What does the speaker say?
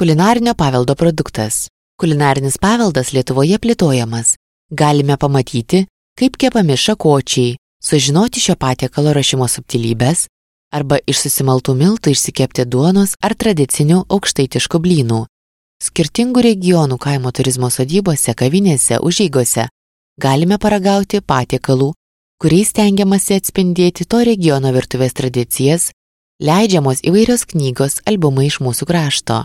Kulinarinio paveldo produktas. Kulinarinis paveldas Lietuvoje plėtojamas. Galime pamatyti, kaip kepami šakočiai, sužinoti šio patiekalo rašymo subtilybės, arba iš susimaltų miltų išsikepti duonos ar tradicinių aukštaitiškų blynų. Skirtingų regionų kaimo turizmo sodybose, kavinėse, užeigose galime paragauti patiekalų, kuriais stengiamasi atspindėti to regiono virtuvės tradicijas, leidžiamos įvairios knygos, albumai iš mūsų krašto.